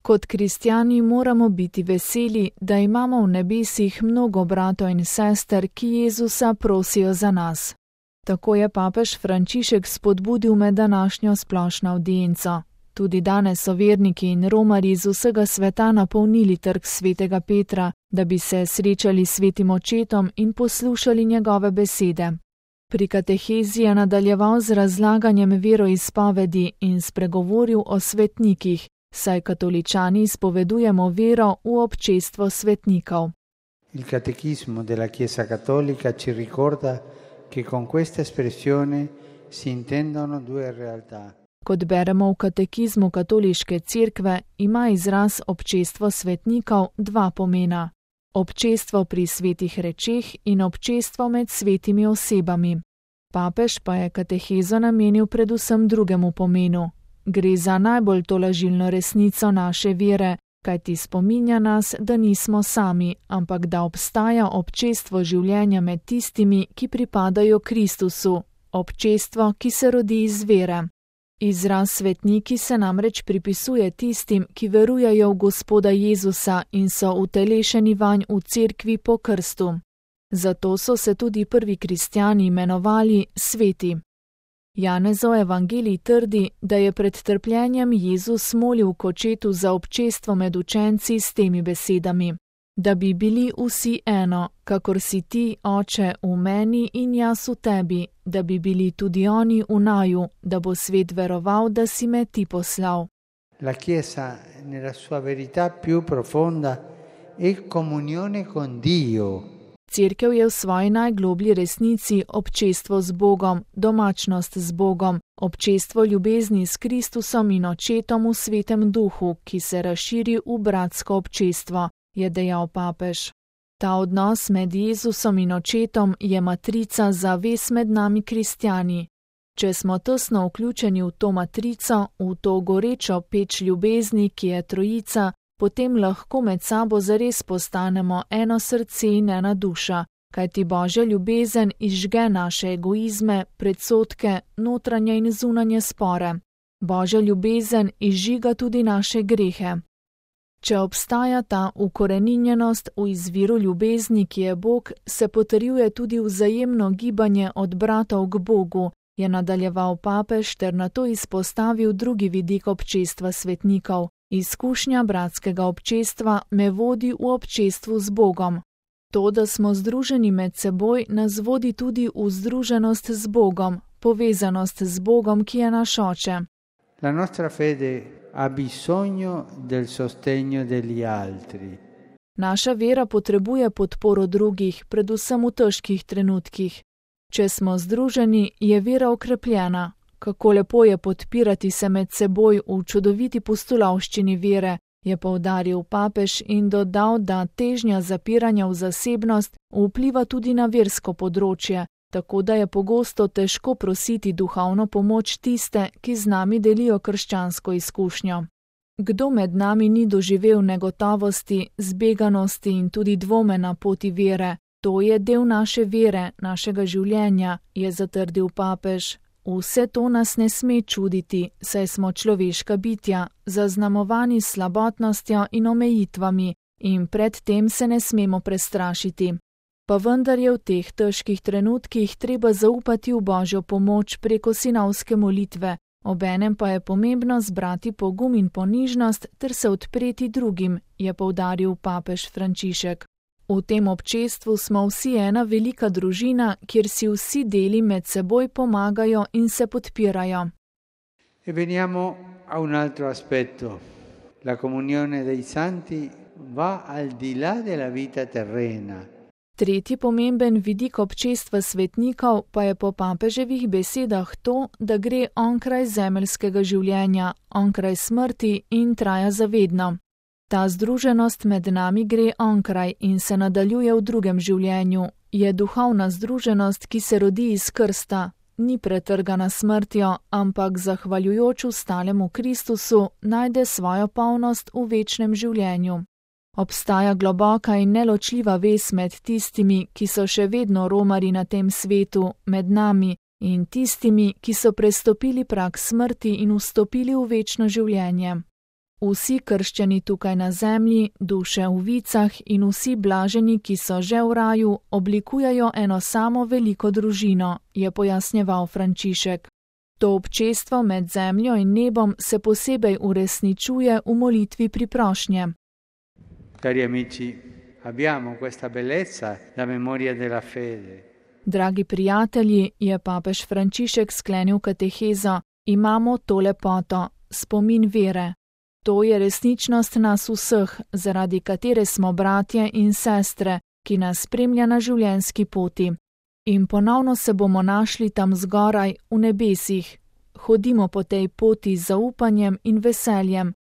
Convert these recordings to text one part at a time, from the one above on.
Kot kristjani moramo biti veseli, da imamo v nebesih mnogo bratov in sester, ki Jezusa prosijo za nas. Tako je papež Frančišek spodbudil med današnjo splošno avdienco. Tudi danes so verniki in romarji iz vsega sveta napolnili trg svetega Petra, da bi se srečali s svetim očetom in poslušali njegove besede. Pri katehezi je nadaljeval z razlaganjem veroizpovedi in spregovoril o svetnikih, saj katoličani izpovedujemo vero v občestvo svetnikov. Il catechismo della Chiesa Cattolica ci ricorda che con questa espressione si intendono due realtà. Kot beremo v katekizmu katoliške cerkve, ima izraz občestvo svetnikov dva pomena. Občestvo pri svetih rečeh in občestvo med svetimi osebami. Papež pa je katehezo namenil predvsem drugemu pomenu. Gre za najbolj tolažilno resnico naše vere, kajti spominja nas, da nismo sami, ampak da obstaja občestvo življenja med tistimi, ki pripadajo Kristusu, občestvo, ki se rodi iz vere. Izraz svetniki se namreč pripisuje tistim, ki verujejo v Gospoda Jezusa in so utelešeni vanj v cerkvi po krstu. Zato so se tudi prvi kristjani imenovali sveti. Janezov evangelij trdi, da je pred trpljenjem Jezus molil k očetu za občestvo med učenci s temi besedami: da bi bili vsi eno, kakor si ti, Oče, v meni in jaz v tebi, da bi bili tudi oni v naju, da bo svet veroval, da si me ti poslal. La Chiesa nella sua verità più profonda è comunione con Dio. Cerkev je v svoji najgloblji resnici občestvo z Bogom, domačnost z Bogom, občestvo ljubezni s Kristusom in Očetom v Svetem Duhu, ki se razširi v bratsko občestvo, je dejal papež. Ta odnos med Jezusom in Očetom je matrica za vez med nami kristjani. Če smo tesno vključeni v to matrico, v to gorečo peč ljubezni, ki je trojica, potem lahko med sabo zares postanemo eno srce in ena duša, kajti Božja ljubezen izžge naše egoizme, predsodke, notranje in zunanje spore. Božja ljubezen izžiga tudi naše grehe. Če obstaja ta ukoreninjenost v izviru ljubezni, ki je Bog, se potrjuje tudi vzajemno gibanje od bratov k Bogu, je nadaljeval papež ter nato izpostavil drugi vidik občestva svetnikov. Izkušnja bratskega občestva me vodi v občestvu z Bogom. To, da smo združeni med seboj, nas vodi tudi v združenost z Bogom, povezanost z Bogom, ki je naš Oče. La nostra fede ha bisogno del sostegno degli altri. Naša vera potrebuje podporo drugih, predvsem v težkih trenutkih. Če smo združeni, je vera okrepljena. Kako lepo je podpirati se med seboj v čudoviti pustolovščini vere, je poudaril papež in dodal, da težnja zapiranja v zasebnost vpliva tudi na versko področje, tako da je pogosto težko prositi duhovno pomoč tiste, ki z nami delijo krščansko izkušnjo. Kdo med nami ni doživel negotovosti, zbeganosti in tudi dvome na poti vere? To je del naše vere, našega življenja, je zatrdil papež. Vse to nas ne sme čuditi, saj smo človeška bitja, zaznamovani s slabotnostjo in omejitvami, in pred tem se ne smemo prestrašiti. Pa vendar je v teh težkih trenutkih treba zaupati v Božjo pomoč preko sinovske molitve, obenem pa je pomembno zbrati pogum in ponižnost ter se odpreti drugim, je poudaril papež Frančišek. V tem občestvu smo vsi ena velika družina, kjer si vsi deli med seboj pomagajo in se podpirajo. E veniamo a un altro aspetto. La comunione dei santi va al di là della vita terrena. Tretji pomemben vidik občestva svetnikov pa je po papeževih besedah to, da gre onkraj zemeljskega življenja, onkraj smrti in traja zavedno. Ta združenost med nami gre onkraj in se nadaljuje v drugem življenju. Je duhovna združenost, ki se rodi iz krsta, ni pretrgana smrtjo, ampak zahvaljujoč ustalemu Kristusu najde svojo polnost v večnem življenju. Obstaja globoka in neločljiva vez med tistimi, ki so še vedno romarji na tem svetu, med nami, in tistimi, ki so prestopili prag smrti in vstopili v večno življenje. Vsi krščani tukaj na zemlji, duše v vicah in vsi blaženi, ki so že v raju, oblikujejo eno samo veliko družino, je pojasnjeval Frančišek. To občestvo med zemljo in nebom se posebej uresničuje v molitvi priprošnje. Cari amici, abbiamo questa bellezza, la memoria della fede. Dragi prijatelji, je papež Frančišek sklenil katehezo, imamo to lepoto, spomin vere. To je resničnost nas vseh, zaradi katere smo bratje in sestre, ki nas spremlja na življenjski poti. In ponovno se bomo našli tam zgoraj, v nebesih. Hodimo po tej poti z zaupanjem in veseljem.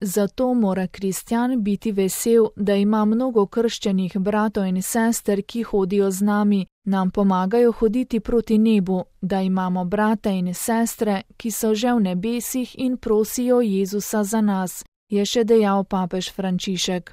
Zato mora kristjan biti vesel, da ima mnogo krščenih bratov in sester, ki hodijo z nami, nam pomagajo hoditi proti nebu, da imamo brate in sestre, ki so že v nebesih in prosijo Jezusa za nas, je še dejal papež Frančišek.